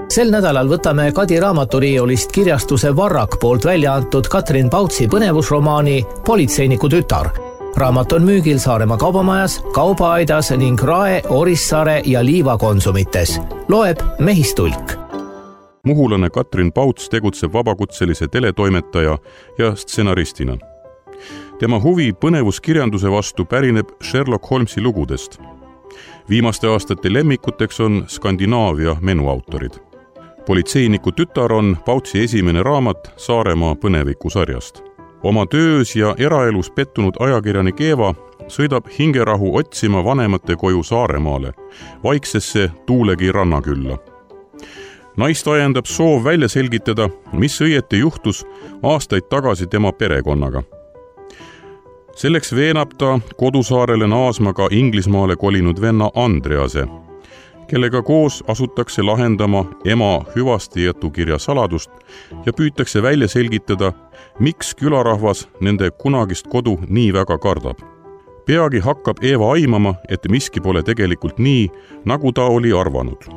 Sel nädalal võtame Kadi raamaturiiulist kirjastuse Varrak poolt välja antud Katrin Pautsi põnevusromaani Politseiniku tütar. Raamat on müügil Saaremaa kaubamajas, Kaubaaidas ning Rae, Orissaare ja Liiva konsumites. Loeb Mehistulk. Muhulane Katrin Pauts tegutseb vabakutselise teletoimetaja ja stsenaristina. Tema huvi põnevuskirjanduse vastu pärineb Sherlock Holmesi lugudest. Viimaste aastate lemmikuteks on Skandinaavia menuautorid. Politseiniku tütar on Pautsi esimene raamat Saaremaa põnevikusarjast. Oma töös ja eraelus pettunud ajakirjanik Eeva sõidab hingerahu otsima vanemate koju Saaremaale, vaiksesse Tuulegi rannakülla. Naist ajendab soov välja selgitada, mis õieti juhtus aastaid tagasi tema perekonnaga. Selleks veenab ta kodusaarele naasma ka Inglismaale kolinud venna Andrease, kellega koos asutakse lahendama ema hüvastijätukirja saladust ja püütakse välja selgitada, miks külarahvas nende kunagist kodu nii väga kardab. Peagi hakkab Eeva aimama, et miski pole tegelikult nii, nagu ta oli arvanud.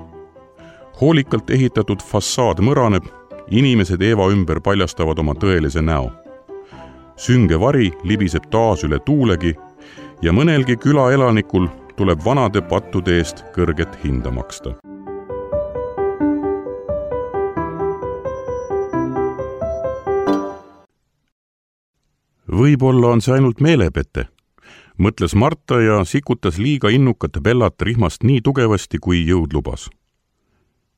Hoolikalt ehitatud fassaad mõraneb, inimesed Eeva ümber paljastavad oma tõelise näo. Sünge vari libiseb taas üle Tuulegi ja mõnelgi külaelanikul tuleb vanade pattude eest kõrget hinda maksta. Võib-olla on see ainult meelepete, mõtles Marta ja sikutas liiga innukat Bellat rihmast nii tugevasti, kui jõud lubas.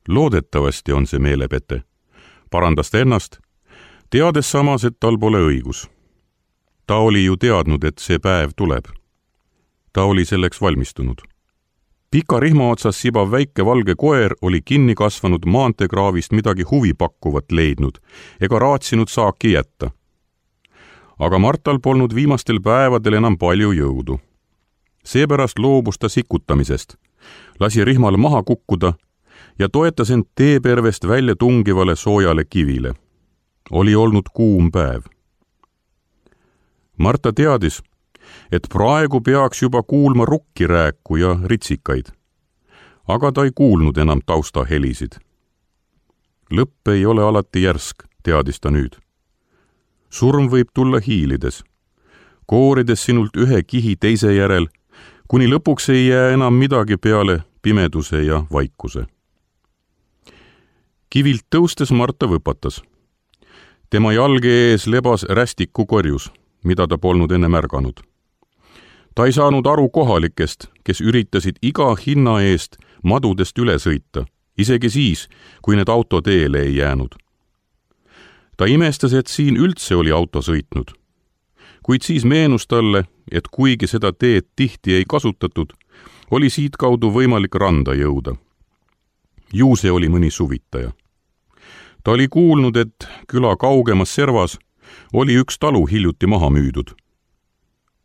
Loodetavasti on see meelepete, parandas ta ennast, teades samas, et tal pole õigus. Ta oli ju teadnud, et see päev tuleb. Ta oli selleks valmistunud. Pika rihma otsas sibav väike valge koer oli kinni kasvanud maanteekraavist midagi huvipakkuvat leidnud ega raatsinud saaki jätta. Aga Martal polnud viimastel päevadel enam palju jõudu. Seepärast loobus ta sikutamisest, lasi rihmal maha kukkuda ja toetas end teepervest välja tungivale soojale kivile. Oli olnud kuum päev. Marta teadis, et praegu peaks juba kuulma rukkirääku ja ritsikaid. Aga ta ei kuulnud enam taustahelisid. Lõpp ei ole alati järsk, teadis ta nüüd. Surm võib tulla hiilides, koorides sinult ühe kihi teise järel, kuni lõpuks ei jää enam midagi peale pimeduse ja vaikuse. Kivilt tõustes Marta võpatas. Tema jalge ees lebas rästiku korjus, mida ta polnud enne märganud. Ta ei saanud aru kohalikest, kes üritasid iga hinna eest madudest üle sõita, isegi siis, kui need auto teele ei jäänud. Ta imestas, et siin üldse oli auto sõitnud. Kuid siis meenus talle, et kuigi seda teed tihti ei kasutatud, oli siit kaudu võimalik randa jõuda. Ju see oli mõni suvitaja. Ta oli kuulnud, et küla kaugemas servas oli üks talu hiljuti maha müüdud.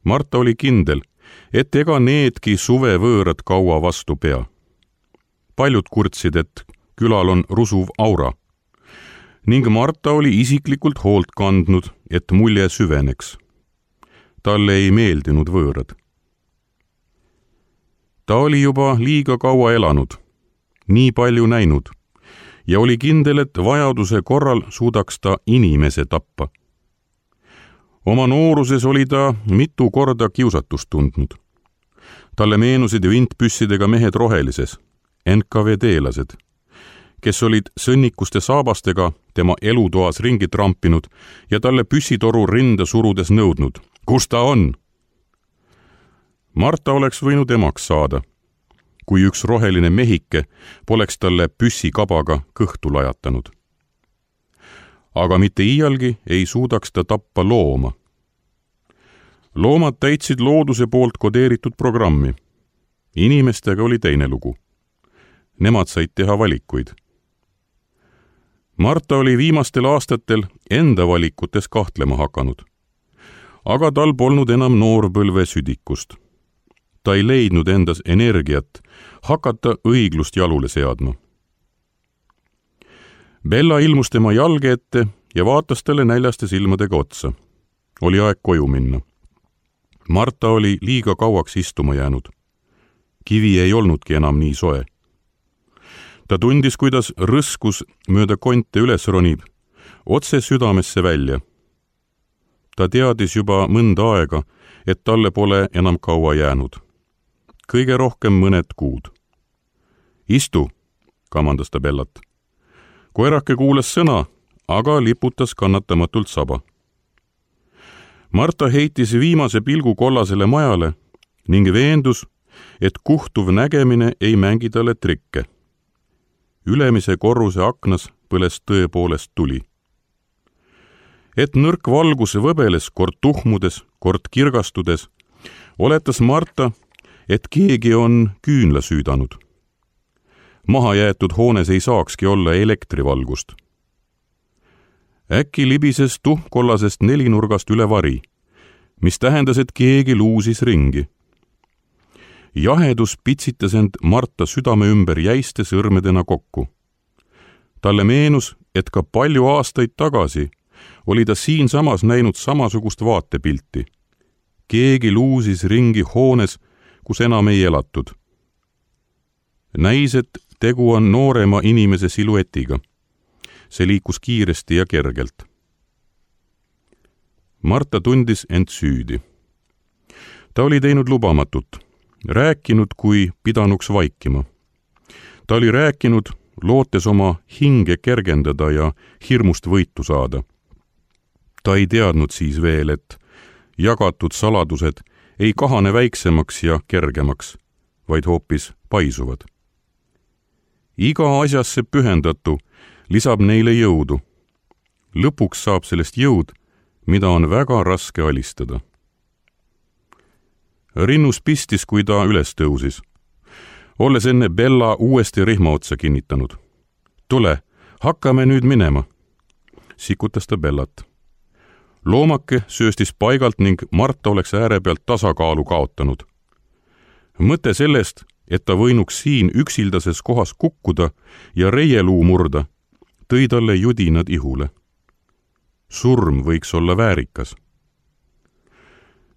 Marta oli kindel, et ega needki suvevõõrad kaua vastu pea. Paljud kurtsid, et külal on rusuv aura. Ning Marta oli isiklikult hoolt kandnud, et mulje süveneks. Talle ei meeldinud võõrad. Ta oli juba liiga kaua elanud, nii palju näinud ja oli kindel, et vajaduse korral suudaks ta inimese tappa. Oma nooruses oli ta mitu korda kiusatust tundnud. Talle meenusid vintpüssidega mehed rohelises, NKVD-lased, kes olid sõnnikuste saabastega tema elutoas ringi trampinud ja talle püssitoru rinda surudes nõudnud. Kus ta on? Marta oleks võinud emaks saada, kui üks roheline mehike poleks talle püssikabaga kõhtu lajatanud. Aga mitte iialgi ei suudaks ta tappa looma. Loomad täitsid looduse poolt kodeeritud programmi. Inimestega oli teine lugu. Nemad said teha valikuid. Marta oli viimastel aastatel enda valikutes kahtlema hakanud. Aga tal polnud enam noorpõlve südikust. Ta ei leidnud endas energiat hakata õiglust jalule seadma. Bella ilmus tema jalge ette ja vaatas talle näljaste silmadega otsa. Oli aeg koju minna. Marta oli liiga kauaks istuma jäänud. Kivi ei olnudki enam nii soe. Ta tundis, kuidas rõskus mööda konte üles ronib, otse südamesse välja. Ta teadis juba mõnda aega, et talle pole enam kaua jäänud. Kõige rohkem mõned kuud. Istu, kamandas ta Bellat. Koerake kuulas sõna, aga liputas kannatamatult saba. Marta heitis viimase pilgu kollasele majale ning veendus, et kuhtuv nägemine ei mängi talle trikke. Ülemise korruse aknas põles tõepoolest tuli. Et nõrk valgus võbeles kord tuhmudes, kord kirgastudes, oletas Marta, et keegi on küünla süüdanud. Mahajäetud hoones ei saakski olla elektrivalgust. Äkki libises tuhmkollasest nelinurgast üle vari, mis tähendas, et keegi luusis ringi. Jahedus pitsitas end Marta südame ümber jäiste sõrmedena kokku. Talle meenus, et ka palju aastaid tagasi oli ta siinsamas näinud samasugust vaatepilti. Keegi luusis ringi hoones, kus enam ei elatud. Näis, et tegu on noorema inimese siluetiga. See liikus kiiresti ja kergelt. Marta tundis end süüdi. Ta oli teinud lubamatut, rääkinud, kui pidanuks vaikima. Ta oli rääkinud, lootes oma hinge kergendada ja hirmust võitu saada. Ta ei teadnud siis veel, et jagatud saladused ei kahane väiksemaks ja kergemaks, vaid hoopis paisuvad. Iga asjasse pühendatu lisab neile jõudu. Lõpuks saab sellest jõud, mida on väga raske alistada. Rinnus pistis, kui ta üles tõusis, olles enne Bella uuesti rihma otsa kinnitanud. Tule, hakkame nüüd minema, sikutas ta Bellat. Loomake sööstis paigalt ning Marta oleks ääre pealt tasakaalu kaotanud. Mõte sellest, et ta võinuks siin üksildases kohas kukkuda ja reieluu murda, tõi talle judinad ihule. Surm võiks olla väärikas.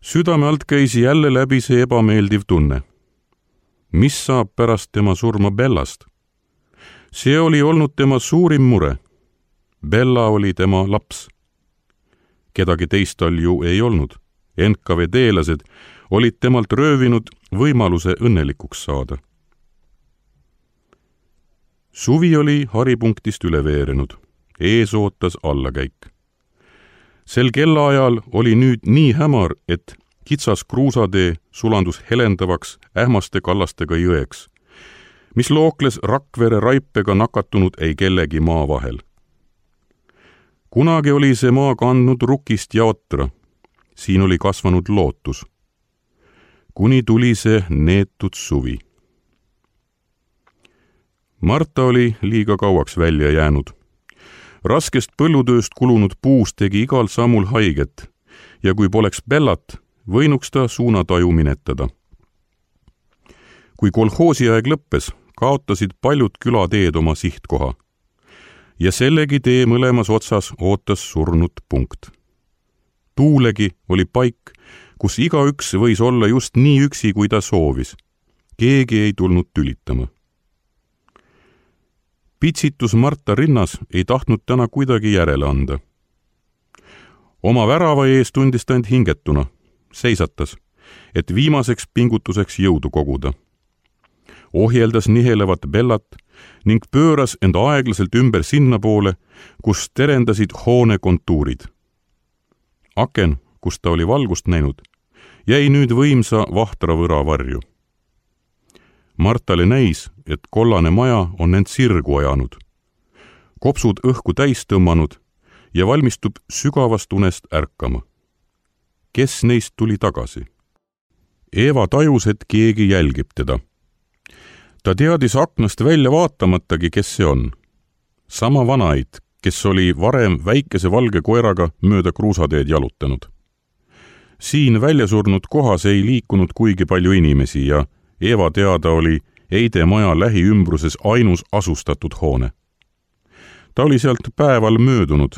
Südame alt käis jälle läbi see ebameeldiv tunne. Mis saab pärast tema surma Bellast? See oli olnud tema suurim mure. Bella oli tema laps. Kedagi teist tal ju ei olnud. NKVD-lased olid temalt röövinud võimaluse õnnelikuks saada. Suvi oli haripunktist üle veerenud. Ees ootas allakäik. Sel kellaajal oli nüüd nii hämar, et kitsas kruusatee sulandus helendavaks ähmaste kallastega jõeks, mis lookles Rakvere raipega nakatunud ei kellegi maa vahel. Kunagi oli see maa kandnud rukist ja otra. Siin oli kasvanud lootus. Kuni tuli see neetud suvi. Marta oli liiga kauaks välja jäänud. Raskest põllutööst kulunud puus tegi igal sammul haiget ja kui poleks Bellat, võinuks ta suunataju minetada. Kui kolhoosiaeg lõppes, kaotasid paljud külateed oma sihtkoha. Ja sellegi tee mõlemas otsas ootas surnud punkt. Tuulegi oli paik, kus igaüks võis olla just nii üksi, kui ta soovis. Keegi ei tulnud tülitama. Pitsitus Marta rinnas ei tahtnud täna kuidagi järele anda. Oma värava ees tundis ta end hingetuna, seisatas, et viimaseks pingutuseks jõudu koguda. Ohjeldas nihelevat Bellat ning pööras end aeglaselt ümber sinna poole, kus terendasid hoone kontuurid. Aken, kus ta oli valgust näinud, jäi nüüd võimsa vahtra võra varju. Martale näis, et kollane maja on end sirgu ajanud, kopsud õhku täis tõmmanud ja valmistub sügavast unest ärkama. Kes neist tuli tagasi? Eeva tajus, et keegi jälgib teda. Ta teadis aknast välja vaatamatagi, kes see on. Sama vanaid, kes oli varem väikese valge koeraga mööda kruusateed jalutanud. Siin väljasurnud kohas ei liikunud kuigi palju inimesi ja Eeva teada oli Eide maja lähiümbruses ainus asustatud hoone. Ta oli sealt päeval möödunud,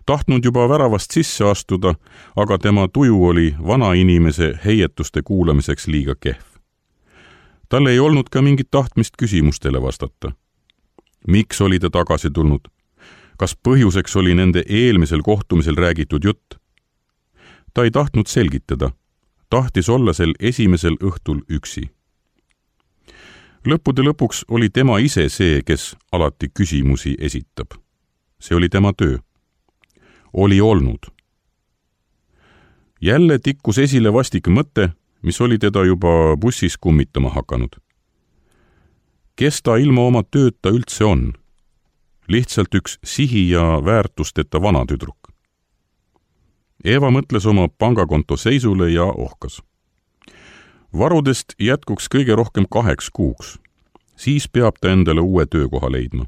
tahtnud juba väravast sisse astuda, aga tema tuju oli vanainimese heietuste kuulamiseks liiga kehv. Tal ei olnud ka mingit tahtmist küsimustele vastata. Miks oli ta tagasi tulnud? Kas põhjuseks oli nende eelmisel kohtumisel räägitud jutt? Ta ei tahtnud selgitada. Tahtis olla sel esimesel õhtul üksi. Lõppude lõpuks oli tema ise see, kes alati küsimusi esitab. See oli tema töö. Oli olnud. Jälle tikkus esile vastik mõte, mis oli teda juba bussis kummitama hakanud. Kes ta ilma oma tööta üldse on? Lihtsalt üks sihi ja väärtusteta vanatüdruk. Eva mõtles oma pangakonto seisule ja ohkas. Varudest jätkuks kõige rohkem 2 kuuks. Siis peab ta endale uue töökoha leidma.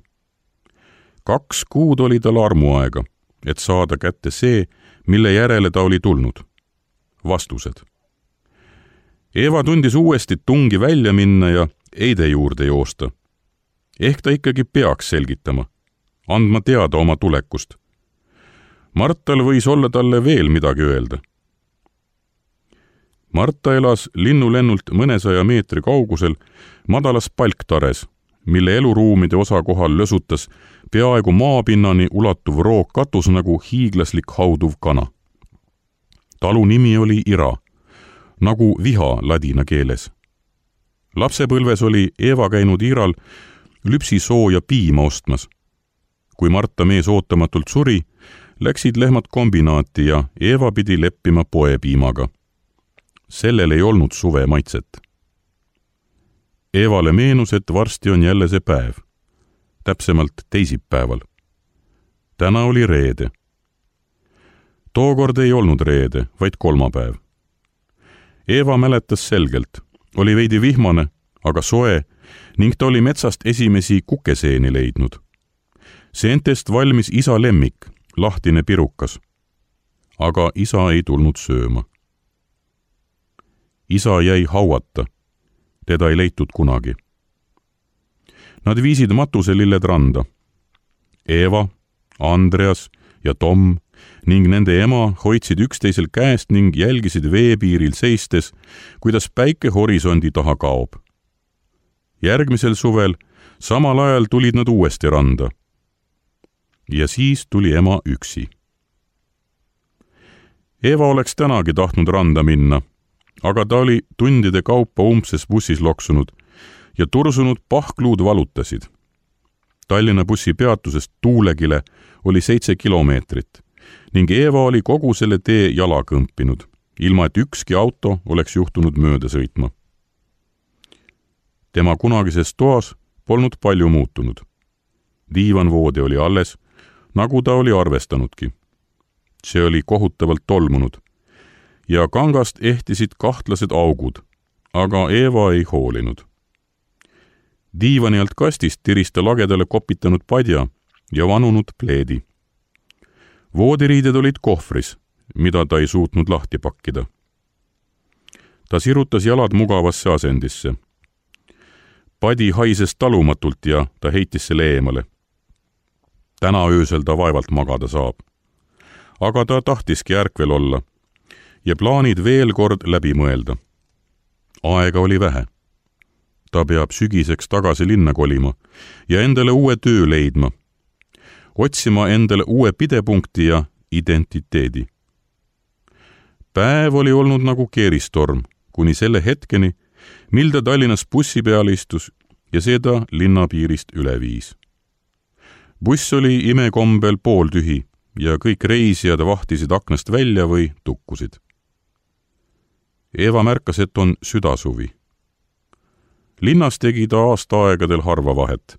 2 kuud oli tal armuaega, et saada kätte see, mille järele ta oli tulnud. Vastused. Eva tundis uuesti tungi välja minna ja Eide juurde joosta. Ehk ta ikkagi peaks selgitama, andma teada oma tulekust. Martal võis olla talle veel midagi öelda. Marta elas linnulennult mõnesaja meetri kaugusel madalas palktares, mille eluruumide osa kohal lösutas peaaegu maapinnani ulatuv roogkatus nagu hiiglaslik hauduv kana. Talu nimi oli Ira, nagu viha ladina keeles. Lapsepõlves oli Eva käinud Iral lüpsisooja piima ostmas. Kui Marta mees ootamatult suri, läksid lehmad kombinaati ja Eva pidi leppima poepiimaga. Sellel ei olnud suve maitset. Evale meenus, et varsti on jälle see päev. Täpsemalt teisipäeval. Täna oli reede. Tookord ei olnud reede, vaid kolmapäev. Eva mäletas selgelt. Oli veidi vihmane, aga soe ning ta oli metsast esimesi kukeseeni leidnud. Seentest valmis isa lemmik, lahtine pirukas. Aga isa ei tulnud sööma. Isa jäi hauata. Teda ei leitud kunagi. Nad viisid matuselilled randa. Eva, Andreas ja Tom ning nende ema hoidsid üksteisel käest ning jälgisid veepiiril seistes, kuidas päike horisondi taha kaob. Järgmisel suvel samal ajal tulid nad uuesti randa. Ja siis tuli ema üksi. Eva oleks tänagi tahtnud randa minna, aga ta oli tundide kaupa umbses bussis loksunud ja tursunud pahkluud valutasid. Tallinna bussi peatusest Tuulegile oli 7 kilomeetrit ning Eva oli kogu selle tee jala kõmpinud, ilma et ükski auto oleks juhtunud mööda sõitma. Tema kunagises toas polnud palju muutunud. Diivanvoodi oli alles, nagu ta oli arvestanudki. See oli kohutavalt tolmunud ja kangast ehtisid kahtlased augud, aga Eva ei hoolinud. Diivani alt kastist tiris ta lagedale kopitanud padja ja vanunud pleedi. Voodiriided olid kohvris, mida ta ei suutnud lahti pakkida. Ta sirutas jalad mugavasse asendisse. Padi haises talumatult ja ta heitis selle eemale. Täna öösel ta vaevalt magada saab. Aga ta tahtiski ärkvel olla ja plaanid veel kord läbi mõelda. Aega oli vähe. Ta peab sügiseks tagasi linna kolima ja endale uue töö leidma. Otsima endale uue pidepunkti ja identiteedi. Päev oli olnud nagu keeristorm, kuni selle hetkeni, mil ta Tallinnas bussi peal istus ja seda linnapiirist üle viis. Buss oli imekombel pooltühi ja kõik reisijad vahtisid aknast välja või tukkusid. Eva märkas, et on südasuvi. Linnas tegi ta aastaaegadel harva vahet.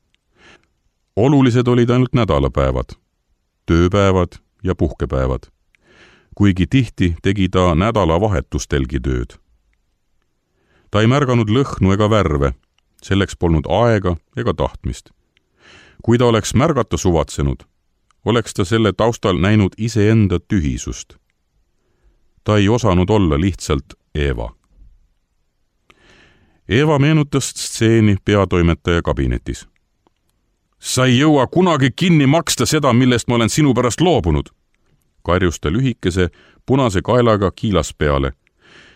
Olulised olid ainult nädalapäevad, tööpäevad ja puhkepäevad, kuigi tihti tegi ta nädalavahetustelgi tööd. Ta ei märganud lõhnu ega värve, selleks polnud aega ega tahtmist. Kui ta oleks märgata suvatsenud, oleks ta selle taustal näinud iseenda tühisust. Ta ei osanud olla lihtsalt Eva. Eva meenutas stseeni peatoimetaja kabinetis. Sa ei jõua kunagi kinni maksta seda, millest ma olen sinu pärast loobunud, karjus ta lühikese punase kaelaga kiilas peale,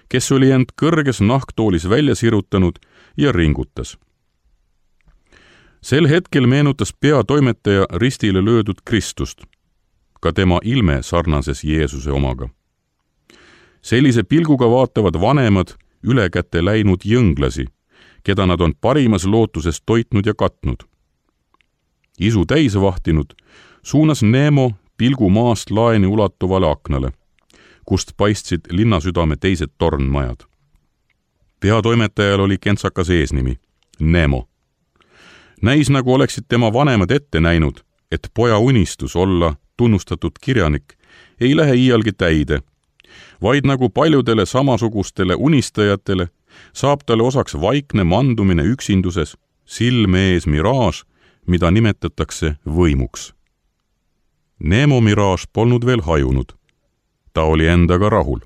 kes oli end kõrges nahktoolis välja sirutanud ja ringutas. Sel hetkel meenutas peatoimetaja ristile löödud Kristust. Ka tema ilme sarnases Jeesuse omaga. Sellise pilguga vaatavad vanemad ülekäte läinud jõnglasi, keda nad on parimas lootuses toitnud ja katnud. Isu täis vahtinud suunas Nemo pilgu maast laeni ulatuvale aknale, kust paistsid linnasüdame teised tornmajad. Peatoimetajal oli kentsakas eesnimi, Nemo. Näis nagu oleksid tema vanemad ette näinud, et poja unistus olla tunnustatud kirjanik ei lähe iialgi täide, vaid nagu paljudele samasugustele unistajatele saab talle osaks vaikne mandumine üksinduses, silme ees miraaž, mida nimetatakse võimuks. Nemo miraaž polnud veel hajunud. Ta oli endaga rahul.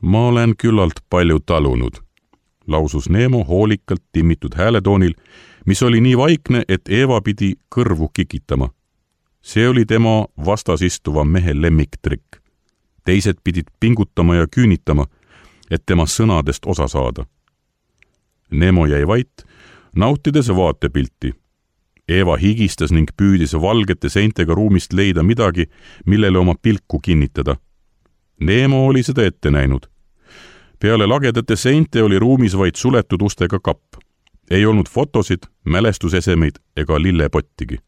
Ma olen küllalt palju talunud, lausus Nemo hoolikalt timmitud hääletoonil, mis oli nii vaikne, et Eeva pidi kõrvu kikitama. See oli tema vastasistuva mehe lemmiktrikk. Teised pidid pingutama ja küünitama, et tema sõnadest osa saada. Nemo jäi vait, nautides vaatepilti. Eeva higistas ning püüdis valgete seintega ruumist leida midagi, millele oma pilku kinnitada. Nemo oli seda ette näinud. Peale lagedate seinte oli ruumis vaid suletud ustega kapp. Ei olnud fotosid, mälestusesemeid ega lillepottigi.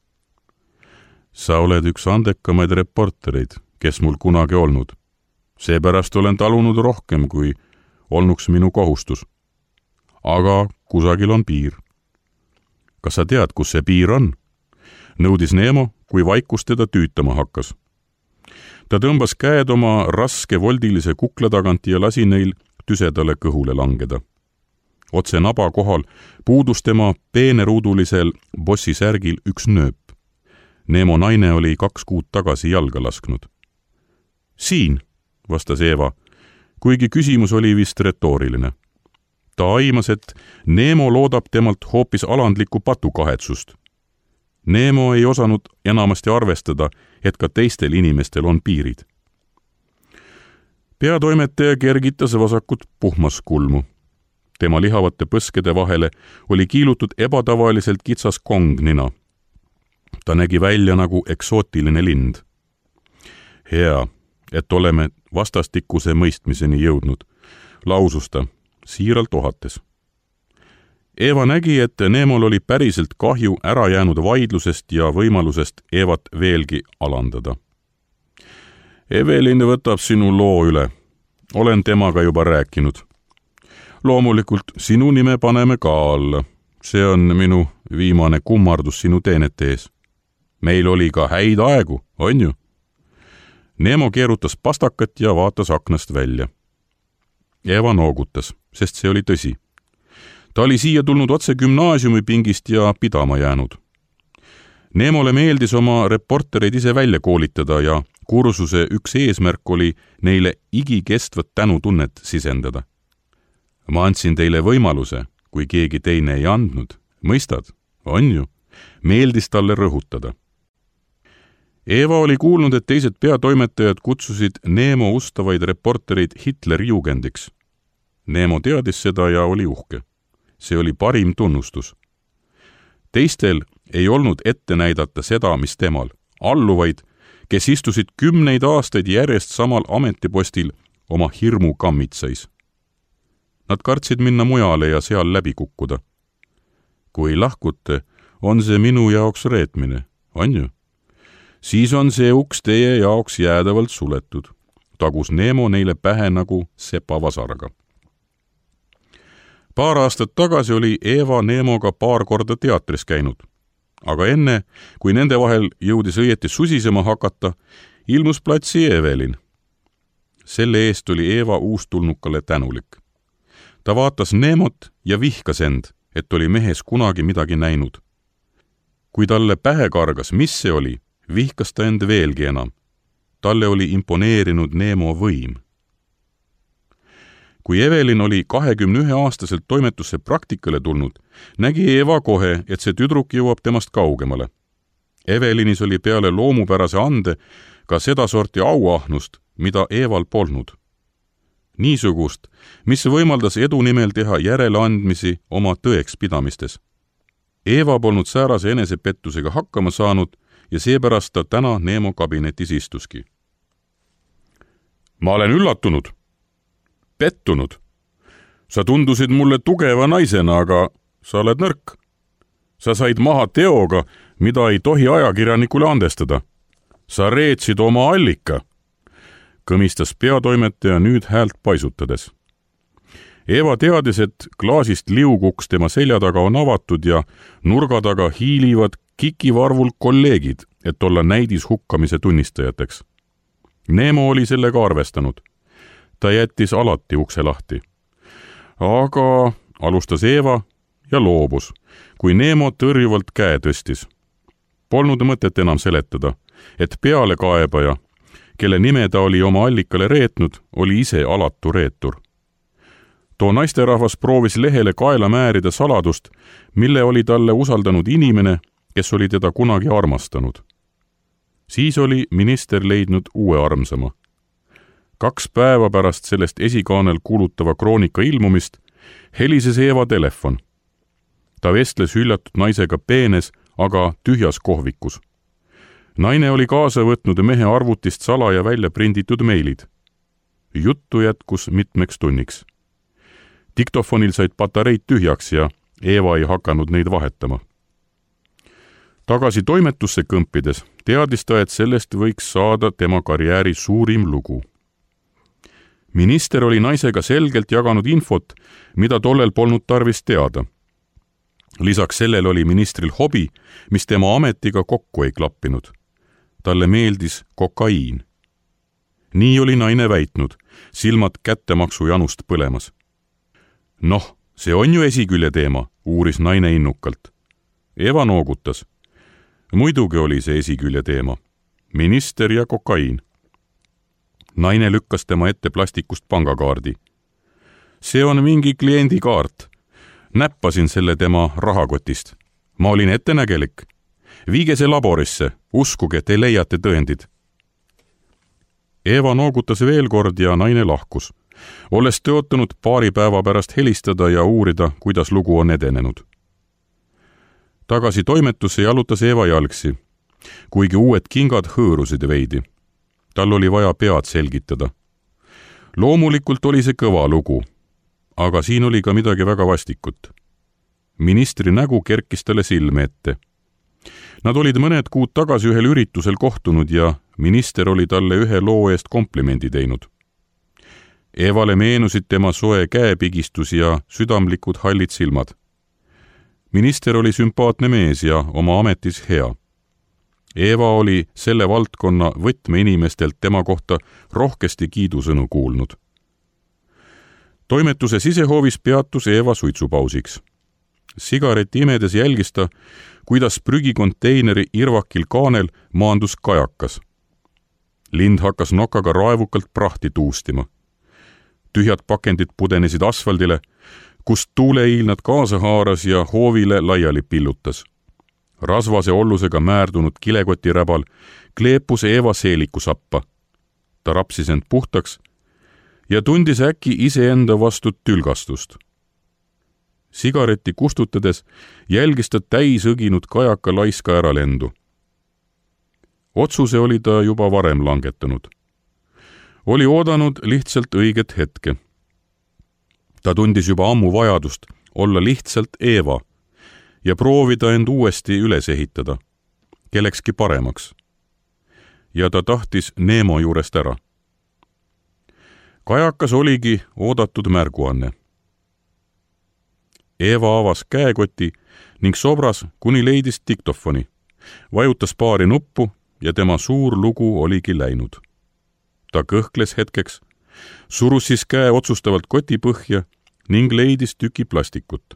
Sa oled üks andekamaid reportereid, kes mul kunagi olnud. Seepärast olen talunud rohkem, kui olnuks minu kohustus. Aga kusagil on piir. Kas sa tead, kus see piir on? Nõudis Nemo, kui vaikus teda tüütama hakkas. Ta tõmbas käed oma raske voldilise kukla tagant ja lasi neil tüsedale kõhule langeda. Otse naba kohal puudus tema peeneruudulisel bossisärgil üks nööp. Nemo naine oli 2 kuud tagasi jalga lasknud. Siin, vastas Eeva, kuigi küsimus oli vist retooriline. Ta aimas, et Nemo loodab temalt hoopis alandlikku patukahetsust. Nemo ei osanud enamasti arvestada, et ka teistel inimestel on piirid. Peatoimetaja kergitas vasakut puhmaskulmu. Tema lihavate põskede vahele oli kiilutud ebatavaliselt kitsas kongnina. Ta nägi välja nagu eksootiline lind. Hea, et oleme vastastikuse mõistmiseni jõudnud, lausus ta, siiralt ohates. Eeva nägi, et Nemol oli päriselt kahju ära jäänud vaidlusest ja võimalusest Eevat veelgi alandada. Evelin võtab sinu loo üle. Olen temaga juba rääkinud. Loomulikult sinu nime paneme ka alla. See on minu viimane kummardus sinu teenete ees. Meil oli ka häid aegu, on ju? Nemo keerutas pastakat ja vaatas aknast välja. Eeva noogutas, sest see oli tõsi. Ta oli siia tulnud otse gümnaasiumipingist ja pidama jäänud. Nemole meeldis oma reportereid ise välja koolitada ja kursuse üks eesmärk oli neile igikestvat tänutunnet sisendada. Ma andsin teile võimaluse, kui keegi teine ei andnud. Mõistad? On ju? Meeldis talle rõhutada. Eeva oli kuulnud, et teised peatoimetajad kutsusid Nemo ustavaid reportereid Hitlerjugendiks. Nemo teadis seda ja oli uhke. See oli parim tunnustus. Teistel ei olnud ette näidata seda, mis temal, alluvaid, kes istusid 10 aastaid järjest samal ametipostil oma hirmu kammitsais. Nad kartsid minna mujale ja seal läbi kukkuda. Kui lahkute, on see minu jaoks reetmine, on ju? Siis on see uks teie jaoks jäädavalt suletud, tagus Nemo neile pähe nagu sepavasarga. Paar aastat tagasi oli Eeva Nemoga paar korda teatris käinud, aga enne, kui nende vahel jõudis õieti susisema hakata, ilmus platsi Evelin. Selle eest oli Eeva uustulnukale tänulik. Ta vaatas Nemot ja vihkas end, et oli mehes kunagi midagi näinud. Kui talle pähe kargas, mis see oli, vihkas ta end veelgi enam. Talle oli imponeerinud Nemo võim. Kui Evelin oli 21-aastaselt toimetusse praktikale tulnud, nägi Eeva kohe, et see tüdruk jõuab temast kaugemale. Evelinis oli peale loomupärase ande ka sedasorti auahnust, mida Eeval polnud. Niisugust, mis võimaldas edu nimel teha järeleandmisi oma tõekspidamistes. Eeva polnud säärase enesepettusega hakkama saanud ja seepärast ta täna Neemo kabinetis istuski. Ma olen üllatunud. Pettunud. Sa tundusid mulle tugeva naisena, aga sa oled nõrk. Sa said maha teoga, mida ei tohi ajakirjanikule andestada. Sa reetsid oma allika, kõmistas peatoimetaja nüüd häält paisutades. Eeva teadis, et klaasist liuguks tema selja taga on avatud ja nurga taga hiilivad kikivarvul kolleegid, et olla näidis hukkamise tunnistajateks. Neemo oli sellega arvestanud. Ta jättis alati ukse lahti. Aga alustas Eeva ja loobus, kui Neemo tõrjuvalt käe tõstis. Polnud mõtet enam seletada, et pealekaebaja, kelle nime ta oli oma allikale reetnud, oli ise alatu reetur. Too naisterahvas proovis lehele kaela määrida saladust, mille oli talle usaldanud inimene, kes oli teda kunagi armastanud. Siis oli minister leidnud uue armsama. 2 päeva pärast sellest esikaanel kuulutava kroonika ilmumist helises Eeva telefon. Ta vestles hüljatud naisega peenes, aga tühjas kohvikus. Naine oli kaasa võtnud mehe arvutist salaja välja prinditud meilid. Juttu jätkus mitmeks tunniks. Diktofonil said patareid tühjaks ja Eeva ei hakanud neid vahetama. Tagasi toimetusse kõmpides teadis ta, et sellest võiks saada tema karjääri suurim lugu. Minister oli naisega selgelt jaganud infot, mida tollel polnud tarvis teada. Lisaks sellel oli ministril hobi, mis tema ametiga kokku ei klappinud. Talle meeldis kokaiin. Nii oli naine väitnud, silmad kättemaksu janust põlemas. Noh, see on ju esikülje teema, uuris naine innukalt. Eeva noogutas. Muidugi oli see esikülje teema. Minister ja kokaiin. Naine lükkas tema ette plastikust pangakaardi. See on mingi kliendikaart. Näppasin selle tema rahakotist. Ma olin ettenägelik. Viige see laborisse, uskuge, te leiate tõendid. Eeva noogutas veel kord ja naine lahkus. Olles tõotanud 2 päeva pärast helistada ja uurida, kuidas lugu on edenenud. Tagasi toimetusse jalutas Eeva jalgsi, kuigi uued kingad hõõrusid veidi. Tal oli vaja pead selgitada. Loomulikult oli see kõva lugu, aga siin oli ka midagi väga vastikut. Ministri nägu kerkis talle silme ette. Nad olid mõned kuud tagasi ühel üritusel kohtunud ja minister oli talle ühe loo eest komplimendi teinud. Eevale meenusid tema soe käepigistus ja südamlikud hallid silmad. Minister oli sümpaatne mees ja oma ametis hea. Eeva oli selle valdkonna võtmeinimestelt tema kohta rohkesti kiidusõnu kuulnud. Toimetuse sisehoovis peatus Eeva suitsupausiks. Sigareti imedes jälgis ta, kuidas prügikonteineri irvakil kaanel maandus kajakas. Lind hakkas nokaga raevukalt prahti tuustima. Tühjad pakendid pudenesid asfaldile, kust tuuleiil nad kaasa haaras ja hoovile laiali pillutas. Rasvase ollusega määrdunud kilekotiräbal kleepus Eeva seelikusappa. Ta rapsis end puhtaks ja tundis äkki iseenda vastu tülgastust. Sigareti kustutades jälgis ta täisõginud kajaka laiska äralendu. Otsuse oli ta juba varem langetanud. Oli oodanud lihtsalt õiget hetke. Ta tundis juba ammu vajadust olla lihtsalt Eeva ja proovida end uuesti üles ehitada, kellekski paremaks. Ja ta tahtis Neemo juurest ära. Kajakas oligi oodatud märguanne. Eeva avas käekoti ning sobras, kuni leidis diktofoni, vajutas paari nuppu ja tema suur lugu oligi läinud. Ta kõhkles hetkeks, surus siis käe otsustavalt koti põhja ning leidis tüki plastikut.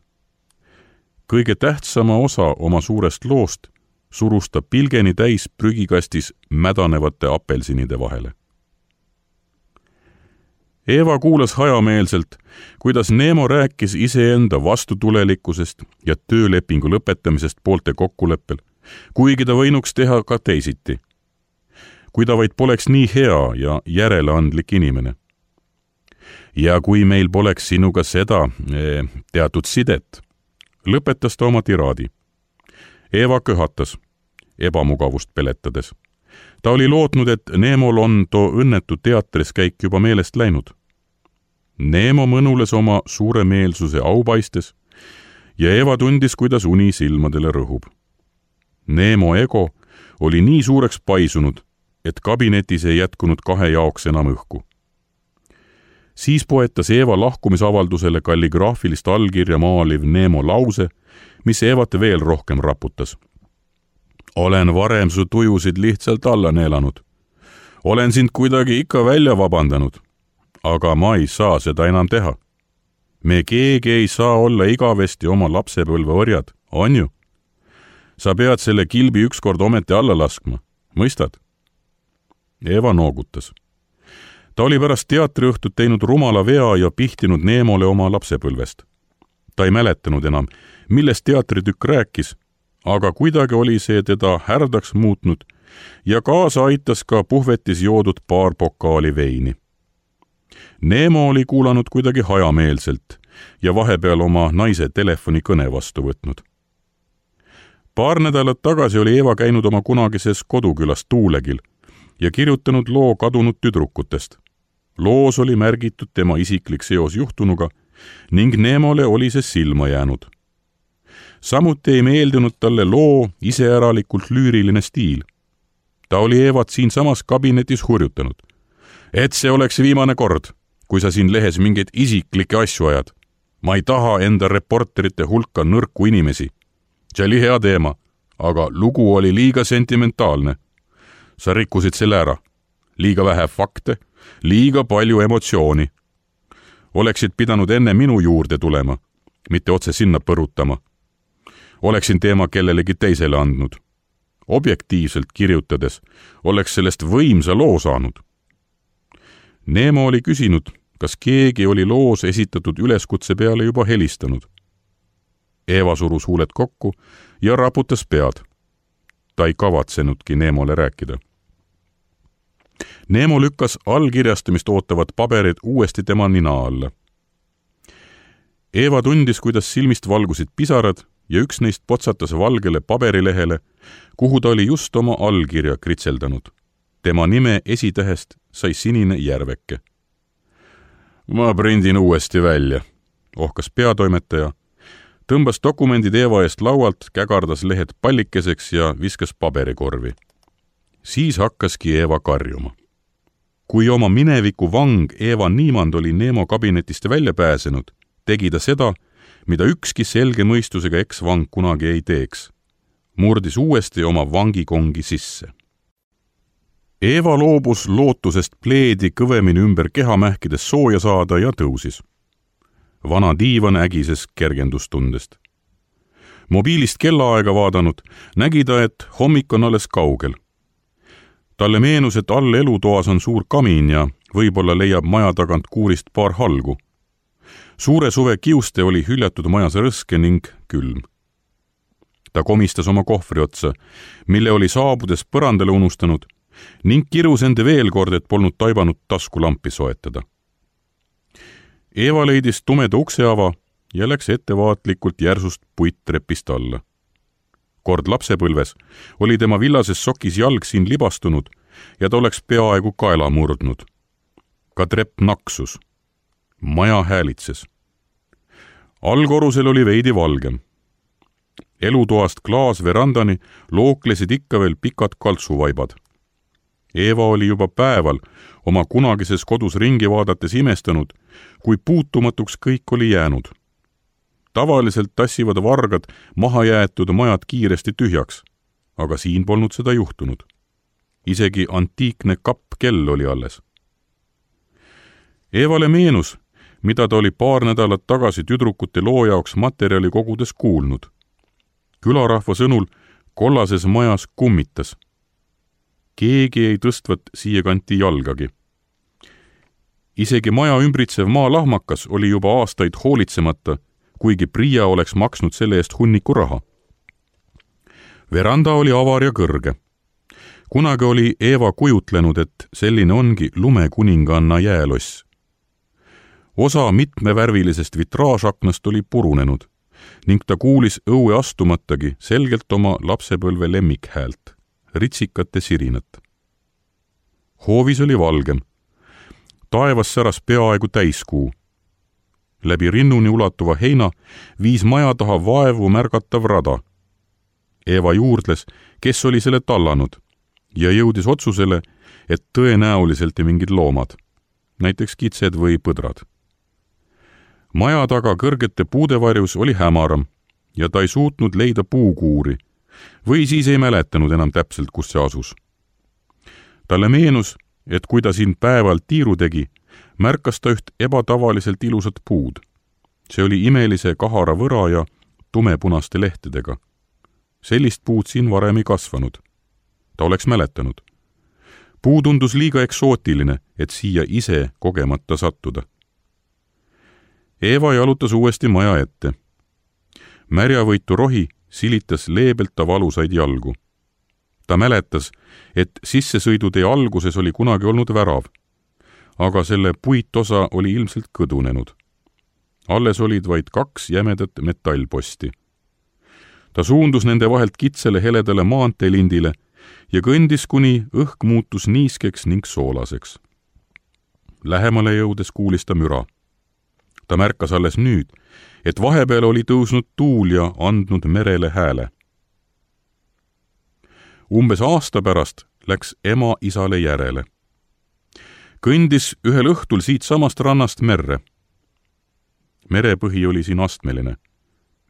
Kõige tähtsama osa oma suurest loost surus ta pilgeni täis prügikastis mädanevate apelsinide vahele. Eeva kuulas hajameelselt, kuidas Neemo rääkis iseenda vastutulelikkusest ja töölepingu lõpetamisest poolte kokkuleppel, kuigi ta võinuks teha ka teisiti. Kui ta vaid poleks nii hea ja järeleandlik inimene. Ja kui meil poleks sinuga seda teatud sidet, lõpetas ta oma tiraadi. Eeva köhatas, ebamugavust peletades. Ta oli lootnud, et Neemol on too õnnetu teatris käik juba meelest läinud. Neemo mõnules oma suure meelsuse aupaistes ja Eeva tundis, kuidas uni silmadele rõhub. Neemo ego oli nii suureks paisunud, et kabinetis ei jätkunud 2 jaoks enam õhku. Siis poetas Eeva lahkumisavaldusele kalligraafilist allkirja maaliv Neemo lause, mis Eevat veel rohkem raputas. Olen varem su tujusid lihtsalt alla neelanud. Olen sind kuidagi ikka välja vabandanud, aga ma ei saa seda enam teha. Me keegi ei saa olla igavesti oma lapsepõlve orjad, on ju? Sa pead selle kilbi ükskord ometi alla laskma, mõistad? Eeva noogutas. Ta oli pärast teatriõhtut teinud rumala vea ja pihtinud Neemole oma lapsepõlvest. Ta ei mäletanud enam, millest teatritükk rääkis, aga kuidagi oli see teda härdaks muutnud ja kaasa aitas ka puhvetis joodud paar pokaali veini. Neemo oli kuulanud kuidagi hajameelselt ja vahepeal oma naise telefonikõne vastu võtnud. Paar nädalat tagasi oli Eeva käinud oma kunagises kodukülas Tuulegil ja kirjutanud loo kadunud tüdrukutest. Loos oli märgitud tema isiklik seos juhtunuga ning Neemole oli see silma jäänud. Samuti ei meeldinud talle loo iseäralikult lüüriline stiil. Ta oli Eevat siinsamas kabinetis hurjutanud. Et see oleks viimane kord, kui sa siin lehes mingeid isiklikke asju ajad. Ma ei taha enda reporterite hulka nõrku inimesi. See oli hea teema, aga lugu oli liiga sentimentaalne. Sa rikkusid selle ära. Liiga vähe fakte, liiga palju emotsiooni. Oleksid pidanud enne minu juurde tulema, mitte otse sinna põrutama. Oleksin teema kellelegi teisele andnud. Objektiivselt kirjutades oleks sellest võimsa loo saanud. Neemo oli küsinud, kas keegi oli loos esitatud üleskutse peale juba helistanud. Eeva surus huuled kokku ja raputas pead. Ta ei kavatsenudki Neemole rääkida. Neemo lükkas allkirjastamist ootavad paberid uuesti tema nina alla. Eeva tundis, kuidas silmist valgusid pisarad ja üks neist potsatas valgele paberilehele, kuhu ta oli just oma allkirja kritseldanud. Tema nime esitähest sai sinine järveke. Ma prindin uuesti välja, ohkas peatoimetaja, tõmbas dokumendid Eeva eest laualt, kägardas lehed pallikeseks ja viskas paberikorvi. Siis hakkaski Eeva karjuma. Kui oma mineviku vang Eeva Niimand oli Neemo kabinetist välja pääsenud, tegi ta seda, mida ükski selge mõistusega eksvang kunagi ei teeks. Murdis uuesti oma vangikongi sisse. Eeva loobus lootusest pleedi kõvemini ümber keha mähkides sooja saada ja tõusis. Vana diivan ägises kergendustundest. Mobiilist kellaaega vaadanud, nägi ta, et hommik on alles kaugel. Talle meenus, et all elutoas on suur kamin ja võib-olla leiab maja tagant kuurist paar halgu. Suure suve kiuste oli hüljatud majas rõske ning külm. Ta komistas oma kohvri otsa, mille oli saabudes põrandale unustanud ning kirus ende veel kord, et polnud taibanud taskulampi soetada. Eeva leidis tumeda ukseava ja läks ettevaatlikult järsust puittrepist alla. Kord lapsepõlves oli tema villases sokis jalg siin libastunud ja ta oleks peaaegu kaela murdnud. Ka trepp naksus. Maja häälitses. Allkorrusel oli veidi valgem. Elutoast klaasverandani looklesid ikka veel pikad kaltsuvaibad. Eeva oli juba päeval oma kunagises kodus ringi vaadates imestanud, kui puutumatuks kõik oli jäänud. Tavaliselt tassivad vargad mahajäetud majad kiiresti tühjaks, aga siin polnud seda juhtunud. Isegi antiikne kappkell oli alles. Eevale meenus, mida ta oli paar nädalat tagasi tüdrukute loo jaoks materjali kogudes kuulnud. Külarahva sõnul kollases majas kummitas. Keegi ei tõstvat siia kanti jalgagi. Isegi maja ümbritsev maalahmakas oli juba aastaid hoolitsemata, kuigi Priia oleks maksnud selle eest hunniku raha. Veranda oli avar ja kõrge. Kunagi oli Eeva kujutlenud, et selline ongi lumekuninganna jääloss. Osa mitmevärvilisest vitraažaknast oli purunenud ning ta kuulis õue astumatagi selgelt oma lapsepõlve lemmikhäält, ritsikate sirinat. Hoovis oli valgem. Taevas säras peaaegu täiskuu. Läbi rinnuni ulatuva heina viis maja taha vaevu märgatav rada. Eeva juurdles, kes oli selle tallanud ja jõudis otsusele, et tõenäoliselt mingid loomad, näiteks kitsed või põdrad. Maja taga kõrgete puudevarjus oli hämaram ja ta ei suutnud leida puukuuri või siis ei mäletanud enam täpselt, kus see asus. Talle meenus, et kui ta siin päeval tiiru tegi, märkas ta üht ebatavaliselt ilusat puud. See oli imelise kahara võra ja tumepunaste lehtedega. Sellist puud siin varem ei kasvanud. Ta oleks mäletanud. Puu tundus liiga eksootiline, et siia ise kogemata sattuda. Eeva jalutas uuesti maja ette. Märjavõitu rohi silitas leebelt ta valusaid jalgu. Ta mäletas, et sissesõidutee alguses oli kunagi olnud värav, aga selle puitosa oli ilmselt kõdunenud. Alles olid vaid 2 jämedat metallposti. Ta suundus nende vahelt kitsele heledale maanteelindile ja kõndis, kuni õhk muutus niiskeks ning soolaseks. Lähemale jõudes kuulis ta müra. Ta märkas alles nüüd, et vahepeal oli tõusnud tuul ja andnud merele hääle. Umbes aasta pärast läks ema isale järele. Kõndis ühel õhtul siit samast rannast merre. Merepõhi oli siin astmeline.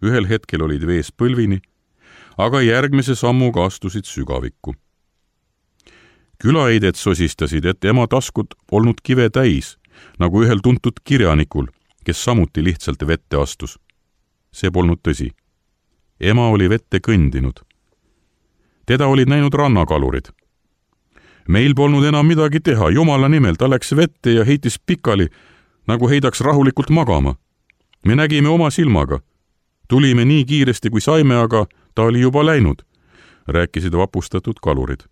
Ühel hetkel olid vees põlvini, aga järgmise sammuga astusid sügavikku. Külaeided sosistasid, et ema taskud olnud kive täis, nagu ühel tuntud kirjanikul, kes samuti lihtsalt vette astus. See polnud tõsi. Ema oli vette kõndinud. Teda olid näinud rannakalurid. Meil polnud enam midagi teha, jumala nimel, ta läks vette ja heitis pikali, nagu heidaks rahulikult magama. Me nägime oma silmaga. Tulime nii kiiresti, kui saime, aga ta oli juba läinud, rääkisid vapustatud kalurid.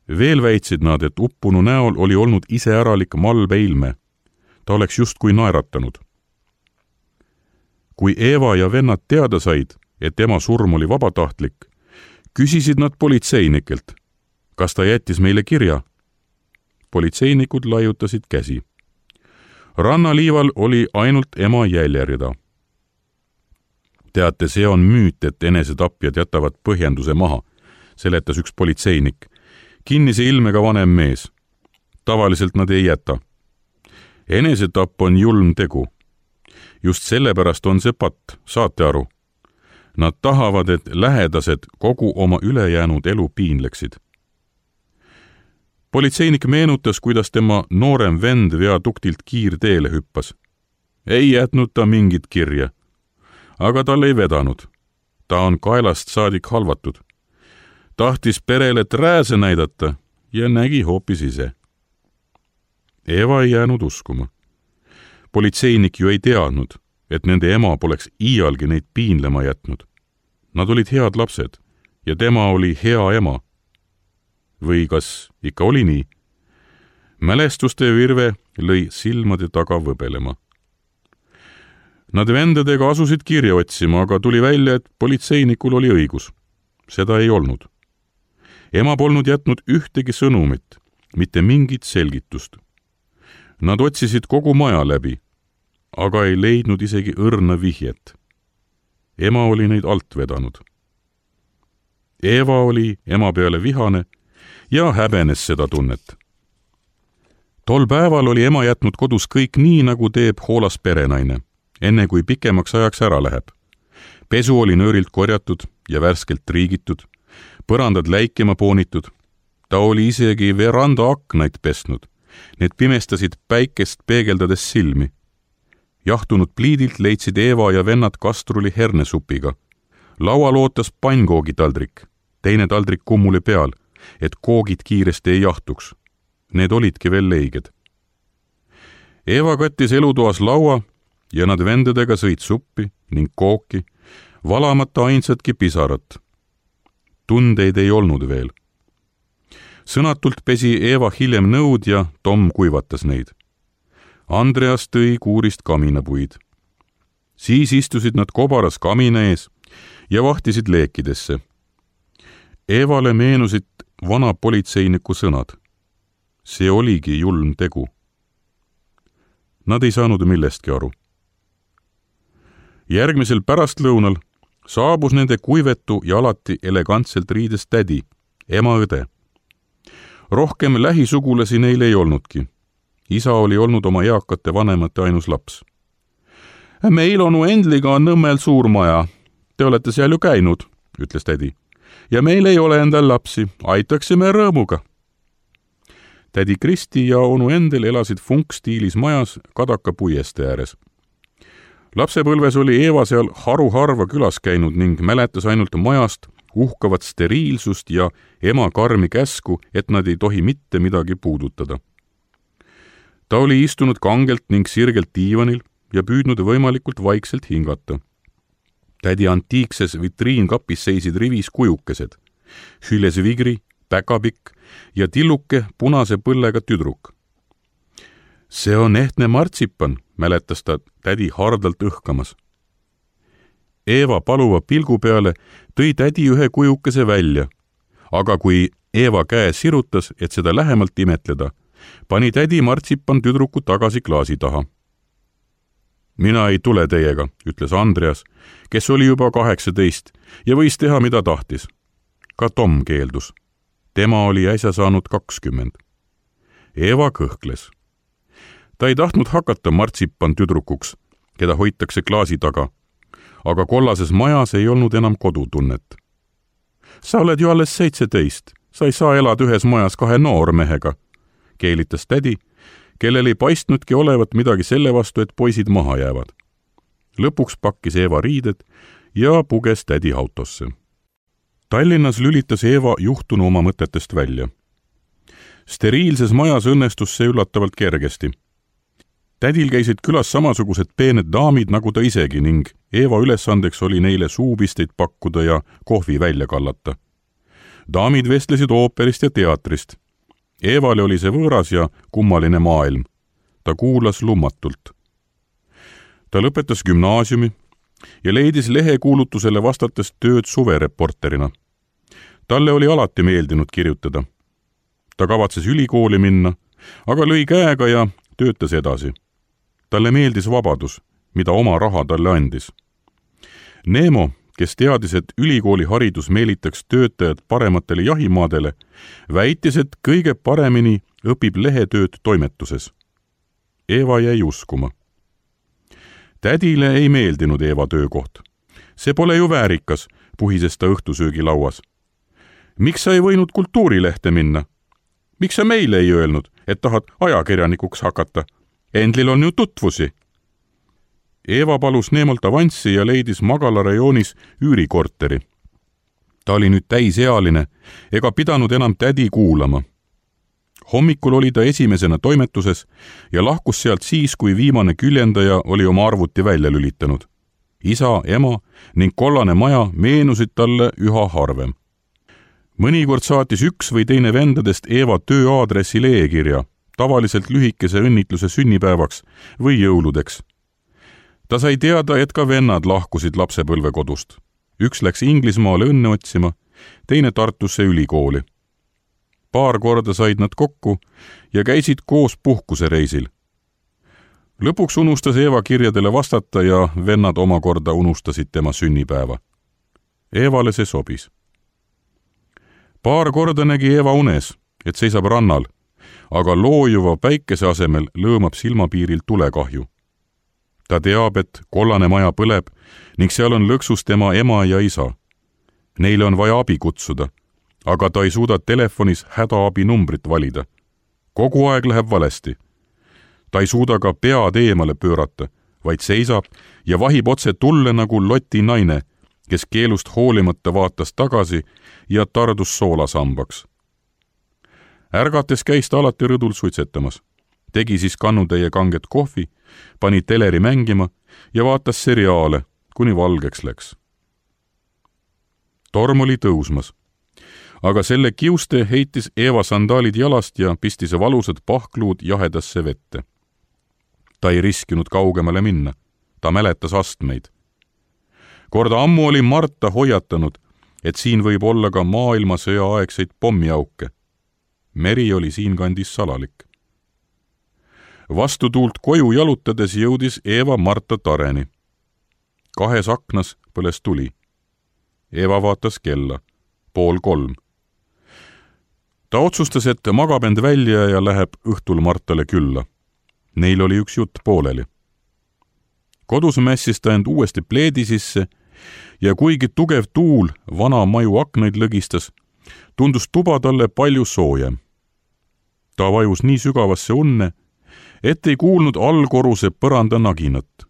Veel väitsid nad, et uppunu näol oli olnud iseäralik malbe ilme. Ta oleks justkui naeratanud. Kui Eeva ja vennad teada said, et ema surm oli vabatahtlik, küsisid nad politseinikelt, kas ta jättis meile kirja. Politseinikud laiutasid käsi. Rannaliival oli ainult ema jäljerida. Teate, see on müüt, et enesetapjad jätavad põhjenduse maha, seletas üks politseinik. Kinnise ilmega vanem mees. Tavaliselt nad ei jäta. Enesetapp on julm tegu. Just sellepärast on see patt, saate aru. Nad tahavad, et lähedased kogu oma ülejäänud elu piinleksid. Politseinik meenutas, kuidas tema noorem vend viaduktilt kiirteele hüppas. Ei jätnud ta mingit kirja, aga tal ei vedanud. Ta on kaelast saadik halvatud. Tahtis perele trääse näidata ja nägi hoopis ise. Eeva ei jäänud uskuma. Politseinik ju ei teadnud, et nende ema poleks iialgi neid piinlema jätnud. Nad olid head lapsed ja tema oli hea ema. Või kas ikka oli nii? Mälestuste virve lõi silmade taga võbelema. Nad vendadega asusid kirja otsima, aga tuli välja, et politseinikul oli õigus. Seda ei olnud. Ema polnud jätnud ühtegi sõnumit, mitte mingit selgitust. Nad otsisid kogu maja läbi, aga ei leidnud isegi õrna vihjet. Ema oli neid alt vedanud. Eeva oli ema peale vihane ja häbenes seda tunnet. Tol päeval oli ema jätnud kodus kõik nii, nagu teeb hoolas perenaine, enne kui pikemaks ajaks ära läheb. Pesu oli nöörilt korjatud ja värskelt triigitud, põrandad läikema poonitud. Ta oli isegi veranda aknaid pesnud. Need pimestasid päikest peegeldades silmi. Jahtunud pliidilt leidsid Eeva ja vennad kastruli hernesupiga. Laual ootas pannkoogitaldrik, teine taldrik kummuli peal, et koogid kiiresti ei jahtuks. Need olidki veel leiged. Eeva kattis elutoas laua ja nad vendadega sõid suppi ning kooki, valamata ainsatki pisarat. Tundeid ei olnud veel. Sõnatult pesi Eeva hiljem nõud ja Tom kuivatas neid. Andreas tõi kuurist kaminapuid. Siis istusid nad kobaras kamina ees ja vahtisid leekidesse. Evale meenusid vana politseiniku sõnad. See oligi julm tegu. Nad ei saanud millestki aru. Järgmisel pärastlõunal saabus nende kuivetu ja alati elegantselt riides tädi, ema õde. Rohkem lähisugulasi neil ei olnudki. Isa oli olnud oma eakate vanemate ainus laps. Meil onu Endliga on Nõmmel suur maja. Te olete seal ju käinud, ütles tädi. Ja meil ei ole endal lapsi, aitaksime rõõmuga. Tädi Kristi ja onu Endel elasid funkstiilis majas Kadaka puieste ääres. Lapsepõlves oli Eva seal haruharva külas käinud ning mäletas ainult majast uhkavat steriilsust ja ema karmi käsku, et nad ei tohi mitte midagi puudutada. Ta oli istunud kangelt ning sirgelt diivanil ja püüdnud võimalikult vaikselt hingata. Tädi antiikses vitriinkapis seisid rivis kujukesed, hüles vigri, päkapikk ja tilluke punase põllega tüdruk. See on ehtne martsipan, mäletas ta tädi hardalt õhkamas. Eva paluva pilgu peale tõi tädi ühe kujukese välja, aga kui Eva käe sirutas, et seda lähemalt imetleda, pani tädi martsipan tüdruku tagasi klaasi taha. Mina ei tule teiega, ütles Andreas, kes oli juba 18 ja võis teha, mida tahtis. Ka Tom keeldus. Tema oli äsja saanud 20. Eva kõhkles. Ta ei tahtnud hakata martsipan tüdrukuks, keda hoitakse klaasi taga, aga kollases majas ei olnud enam kodutunnet. Sa oled ju alles 17, sa ei saa elada ühes majas 2 noormehega, keelitas tädi, kellel ei paistnudki olevat midagi selle vastu, et poisid maha jäävad. Lõpuks pakkis Eva riided ja puges tädi autosse. Tallinnas lülitas Eva juhtunu oma mõtetest välja. Steriilses majas õnnestus see üllatavalt kergesti. Tädil käisid külas samasugused peened daamid nagu ta isegi ning Eva ülesandeks oli neile suupisteid pakkuda ja kohvi välja kallata. Daamid vestlesid ooperist ja teatrist. Evale oli see võõras ja kummaline maailm. Ta kuulas lummatult. Ta lõpetas gümnaasiumi ja leidis lehekuulutusele vastates tööd suvereporterina. Talle oli alati meeldinud kirjutada. Ta kavatses ülikooli minna, aga lõi käega ja töötas edasi. Talle meeldis vabadus, mida oma raha talle andis. Neemo, kes teadis, et ülikooli haridus meelitaks töötajad parematele jahimaadele, väitis, et kõige paremini õpib lehetööd toimetuses. Eva jäi uskuma. Tädile ei meeldinud Eva töökoht. See pole ju väärikas, puhises ta õhtusöögilauas. Miks sa ei võinud kultuurilehte minna? Miks sa meile ei öelnud, et tahad ajakirjanikuks hakata? Endlil on ju tutvusi. Eva palus Neemolt avanssi ja leidis Magala rajoonis üürikorteri. Ta oli nüüd täisealine ega pidanud enam tädi kuulama. Hommikul oli ta esimesena toimetuses ja lahkus sealt siis, kui viimane küljendaja oli oma arvuti välja lülitanud. Isa, ema ning kollane maja meenusid talle üha harvem. Mõnikord saatis üks või teine vendadest Eva tööaadressil e-kirja, tavaliselt lühikese õnnitluse sünnipäevaks või jõuludeks. Ta sai teada, et ka vennad lahkusid lapsepõlvekodust. Üks läks Inglismaale õnne otsima, teine Tartusse ülikooli. Paar korda said nad kokku ja käisid koos puhkusereisil. Lõpuks unustas Eva kirjadele vastata ja vennad omakorda unustasid tema sünnipäeva. Evale see sobis. Paar korda nägi Eva unes, et seisab rannal, aga loojuva päikese asemel lõõmab silmapiiril tulekahju. Ta teab, et kollane maja põleb ning seal on lõksus tema ema ja isa. Neile on vaja abi kutsuda, aga ta ei suuda telefonis hädaabi numbrit valida. Kogu aeg läheb valesti. Ta ei suuda ka pead eemale pöörata, vaid seisab ja vahib otse tulle nagu Loti naine, kes keelust hoolimata vaatas tagasi ja tardus soolasambaks. Ärgates käis ta alati rõdul suitsetamas. Tegi siis kannutäie kanget kohvi, pani teleri mängima ja vaatas seriaale, kuni valgeks läks. Torm oli tõusmas, aga selle kiuste heitis Eva sandaalid jalast ja pistis valusad pahkluud jahedasse vette. Ta ei riskinud kaugemale minna. ta mäletas astmeid. Kord ammu oli Marta hoiatanud, et siin võib olla ka maailmasõja aegseid pommiauke. Meri oli siinkandis salalik. Vastutuult koju jalutades jõudis Eeva Marta tareni. 2 aknas põles tuli. Eeva vaatas kella, 2:30. Ta otsustas, et magab end välja ja läheb õhtul Martale külla. Neil oli üks jutt pooleli. Kodus mässis ta end uuesti pleedi sisse ja kuigi tugev tuul vana maju aknaid lõgistas, tundus tuba talle palju soojem. Ta vajus nii sügavasse unne, et ei kuulnud allkorruse põranda naginat.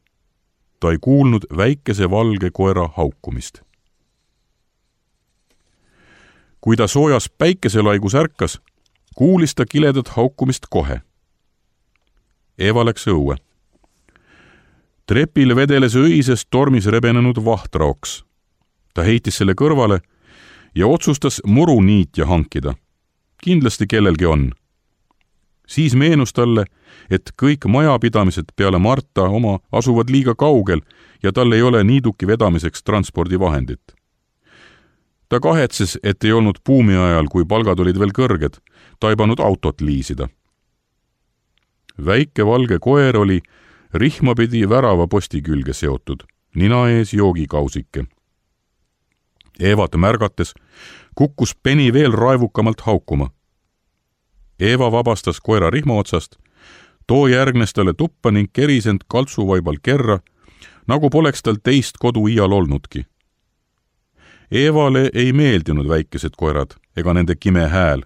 Ta ei kuulnud väikese valge koera haukumist. Kui ta soojas päikeselaigus ärkas, kuulis ta kiledat haukumist kohe. Eeva läks õue. Trepil vedeles õises tormis rebenenud vahtraoks. Ta heitis selle kõrvale ja otsustas muruniitja hankida. Kindlasti kellelgi on. Siis meenus talle, et kõik majapidamised peale Marta oma asuvad liiga kaugel ja tal ei ole niiduki vedamiseks transpordivahendit. Ta kahetses, et ei olnud buumi ajal, kui palgad olid veel kõrged, taibanud autot liisida. Väike valge koer oli rihmapidi värava posti külge seotud, nina ees joogikausike. Eevat märgates kukkus Penny veel raevukamalt haukuma. Eeva vabastas koera rihma otsast, too järgnes talle tuppa ning keris end kaltsuvaibal kerra, nagu poleks tal teist kodu iial olnudki. Eevale ei meeldinud väikesed koerad ega nende kime hääl,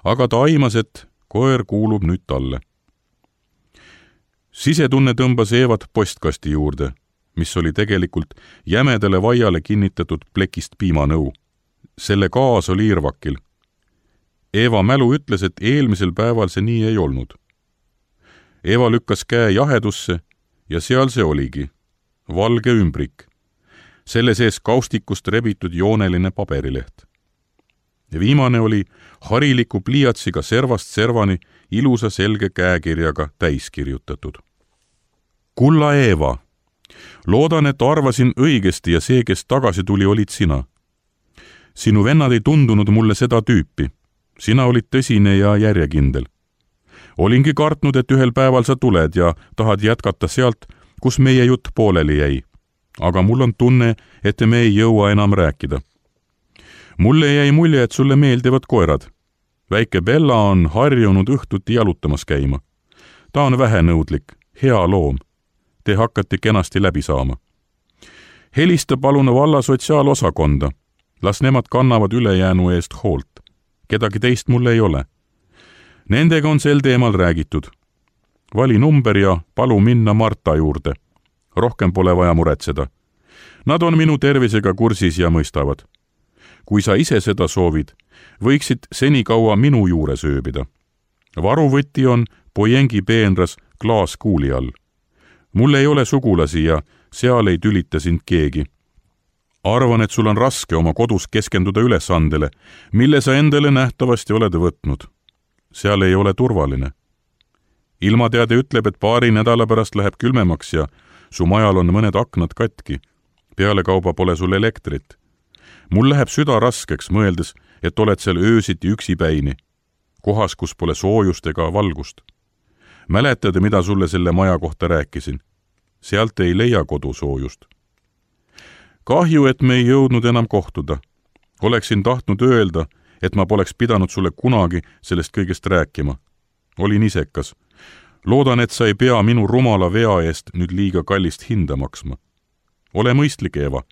aga ta aimas, et koer kuulub nüüd talle. Sisetunne tõmbas Eevat postkasti juurde, mis oli tegelikult jämedale vaiale kinnitatud plekist piimanõu. Selle gaas oli irvakil. Eeva mälu ütles, et eelmisel päeval see nii ei olnud. Eeva lükkas käe jahedusse ja seal see oligi. Valge ümbrik. Selle sees kaustikust rebitud jooneline paberileht. Viimane oli hariliku pliiatsiga servast servani ilusa selge käekirjaga täiskirjutatud. Kulla Eeva, loodan, et arvasin õigesti ja see, kes tagasi tuli, olid sina. Sinu vennad ei tundunud mulle seda tüüpi. Sina olid tõsine ja järjekindel. Olingi kartnud, et ühel päeval sa tuled ja tahad jätkata sealt, kus meie jutt pooleli jäi. Aga mul on tunne, et me ei jõua enam rääkida. Mulle jäi mulje, et sulle meeldivad koerad. Väike Bella on harjunud õhtuti jalutamas käima. Ta on vähenõudlik, hea loom. Te hakkate kenasti läbi saama. Helista palun valla sotsiaalosakonda. Las nemad kannavad ülejäänu eest hoolt. Kedagi teist mulle ei ole. Nendega on sel teemal räägitud. Vali number ja palu minna Marta juurde. Rohkem pole vaja muretseda. Nad on minu tervisega kursis ja mõistavad. Kui sa ise seda soovid, võiksid senikaua minu juures ööbida. Varuvõtti on Pojengi peenras klaaskuuli all. Mul ei ole sugulasi ja seal ei tülita sind keegi. Arvan, et sul on raske oma kodus keskenduda ülesandele, mille sa endale nähtavasti oled võtnud. Seal ei ole turvaline. Ilmateade ütleb, et paari nädala pärast läheb külmemaks ja su majal on mõned aknad katki. Pealekauba pole sul elektrit. Mul läheb süda raskeks, mõeldes, et oled seal öösiti üksipäini, kohas, kus pole soojust ega valgust. Mäletad, mida sulle selle maja kohta rääkisin? Sealt ei leia kodusoojust. Kahju, et me ei jõudnud enam kohtuda. Oleksin tahtnud öelda, et ma poleks pidanud sulle kunagi sellest kõigest rääkima. Olin isekas. Loodan, et sa ei pea minu rumala vea eest nüüd liiga kallist hinda maksma. Ole mõistlik, Eeva.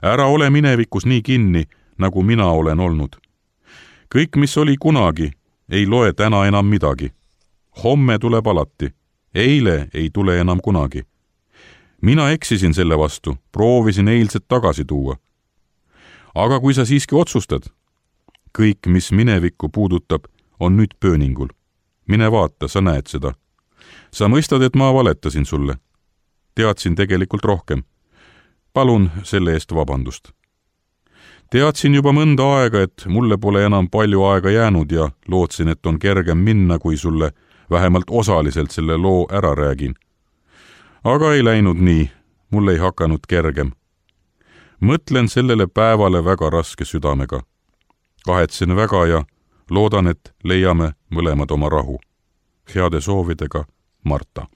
Ära ole minevikus nii kinni, nagu mina olen olnud. Kõik, mis oli kunagi, ei loe täna enam midagi. Homme tuleb alati. Eile ei tule enam kunagi. Mina eksisin selle vastu, proovisin eilset tagasi tuua. Aga kui sa siiski otsustad, kõik, mis minevikku puudutab, on nüüd pööningul. Mine vaata, sa näed seda. Sa mõistad, et ma valetasin sulle. Teadsin tegelikult rohkem. Palun selle eest vabandust. Teadsin juba mõnda aega, et mulle pole enam palju aega jäänud ja lootsin, et on kergem minna, kui sulle vähemalt osaliselt selle loo ära räägin. Aga ei läinud nii, mul ei hakanud kergem. Mõtlen sellele päevale väga raske südamega. Kahetsen väga ja loodan, et leiame mõlemad oma rahu. Heade soovidega, Marta.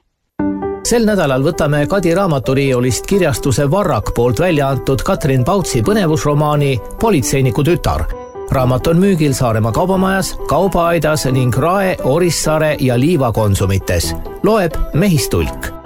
Sel nädalal võtame Kadi raamaturiiolist kirjastuse Varrak poolt välja antud Katrin Pautsi põnevusromaani Politseiniku tütar. Raamat on müügil Saaremaa kaubamajas, Kaubaaidas ning Rae, Orissaare ja Liiva konsumites. Loeb Mehistulk.